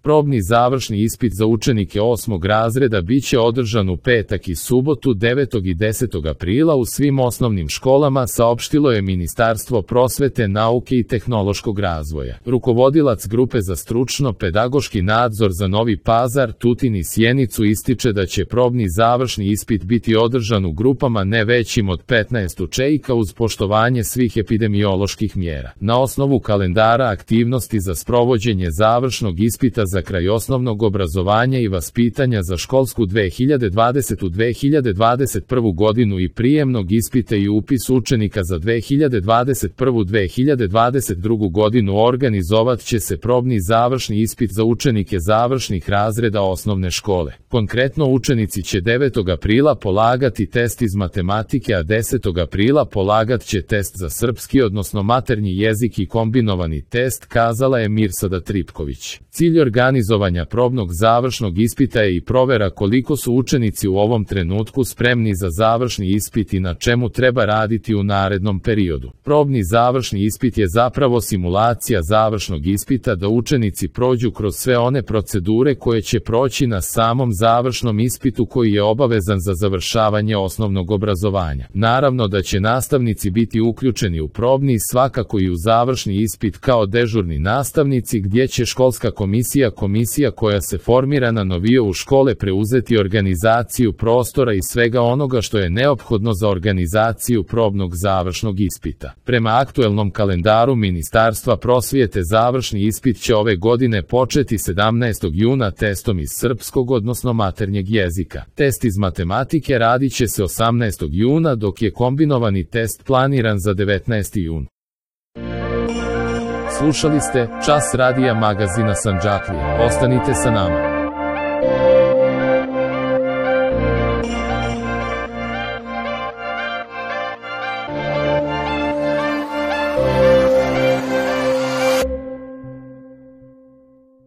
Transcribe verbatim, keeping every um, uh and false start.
Probni završni ispit za učenike osmog razreda biće održan u petak i subotu devetog i desetog aprila u svim osnovnim školama, saopštilo je Ministarstvo prosvete, nauke i tehnološkog razvoja. Rukovodilac grupe za stručno-pedagoški nadzor za Novi Pazar, Tutin i Sjenicu ističe da će probni završni ispit biti održan u grupama ne većim od petnaest učenika uz poštovanje svih epidemioloških mjera. Na osnovu kalendara aktivnosti za sprovođenje završnog ispita za kraj osnovnog obrazovanja i vaspitanja za školsku dve hiljade dvadesete – dve hiljade dvadeset prvu godinu i prijemnog ispita i upis učenika za dve hiljade dvadeset prvu – dve hiljade dvadeset drugu godinu organizovat će se probni završni ispit za učenike završnih razreda osnovne škole. Konkretno, učenici će devetog aprila polagati test iz matematike, a desetog aprila polagat će test za srpski, odnosno maternji jezik i kombinovani test, kazala je Mirsada Tripković. Cilj organizovanja probnog završnog ispita je i provera koliko su učenici u ovom trenutku spremni za završni ispit i na čemu treba raditi u narednom periodu. Probni završni ispit je zapravo simulacija završnog ispita, da učenici prođu kroz sve one procedure koje će proći na samom završnom ispitu koji je obavezan za završavanje osnovnog obrazovanja. Naravno da će nastavnici biti uključeni u probni, svakako i u završni ispit kao dežurni nastavnici, gdje će školska komisija, komisija koja se formira na novio u škole, preuzeti organizaciju prostora i svega onoga što je neophodno za organizaciju probnog završnog ispita. Prema aktuelnom kalendaru Ministarstva prosvjete, završni ispit će ove godine početi sedamnaestog juna testom iz srpskog, odnosno maternjeg jezika. Test iz matematike radit će se osamnaestog juna, dok je kombinovani test planiran za devetnaesti jun. Slušali ste Čas radija magazina Sandžaklija. Ostanite sa nama.